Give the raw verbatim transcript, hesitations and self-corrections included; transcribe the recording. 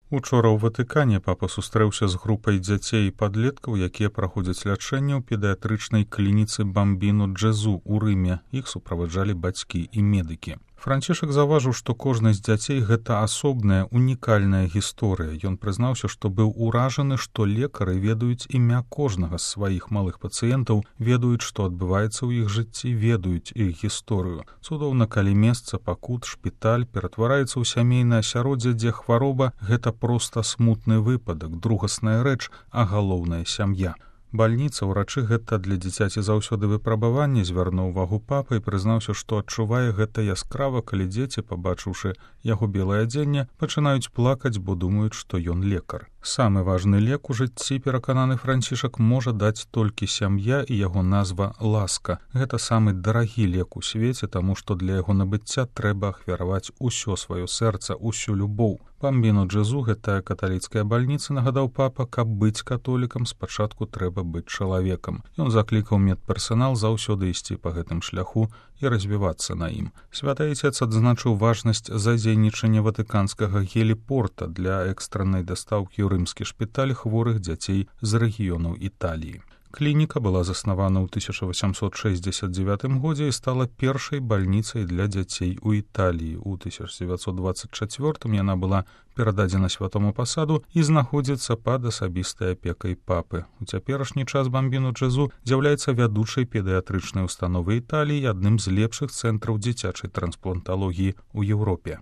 Учора ў Ватыкане папа сустрэўся з групай дзяцей і падлеткаў, якія праходзяць лячэнне ў педыятрычнай клініцы Бамбіно Джезу ў Рыме. Іх суправаджалі бацькі і медыкі. Францішак заўважыў, што кожны з дзяцей гэта асобная, унікальная гісторыя. Ён прызнаўся, што быў уражаны, што лекары ведаюць імя кожнага з сваіх малых пацыентаў, ведаюць, што адбываецца ў іх жыцці, ведаюць іх гісторыю. Цудоўна, калі месца, пакут, шпіталь ператвараецца ў сямейнае асяроддзе, дзе хвароба — гэта проста смутны выпадак, другасная рэч, а галоўная сям'я. Бальніца, урачы гэта для дзіцяці заўсёды выпрабаванне, звярнуў увагу папа і прызнаўся, што адчувае гэта яскрава, калі дзеці, пабачыўшы яго белае адзенне, пачынаюць плакаць, бо думаюць, што ён лекар. Самы важны лек у жыцці, перакананы Францішак, можа даць толькі сям'я і яго назва ласка. Гэта самы дарагі лек у свеце, таму што для яго набыцця трэба ахвяраваць усё сваё сэрца, усю любоў. Бамбіно Джезу, гэтая каталіцкая бальніца, нагадаў папа, каб быць католікам, спачатку трэба быць чалавекам. Ён заклікаў медперсанал заўсёды ісці па гэтым шляху і развівацца на ім. Святы Айцец адзначыў важнасць задзейнічання ватыканскага геліпорта для экстраннай дастаўкі ў рымскі шпіталь хворых дзяцей з рэгіёнаў Італіі. Клініка была заснавана ў тысяча васямсот шэсцьдзесят дзевятым годзе і стала першай бальніцай для дзяцей у Італіі. У тысяча дзевяцьсот дваццаць чацвёртым яна была перададзена святому пасаду і знаходзіцца пад асабістай апекай папы. У цяперашні час Бамбіно Джезу з'яўляецца вядучай педыятрычнай установай Італіі і адным з лепшых цэнтраў дзіцячай транспланталогіі ў Еўропе.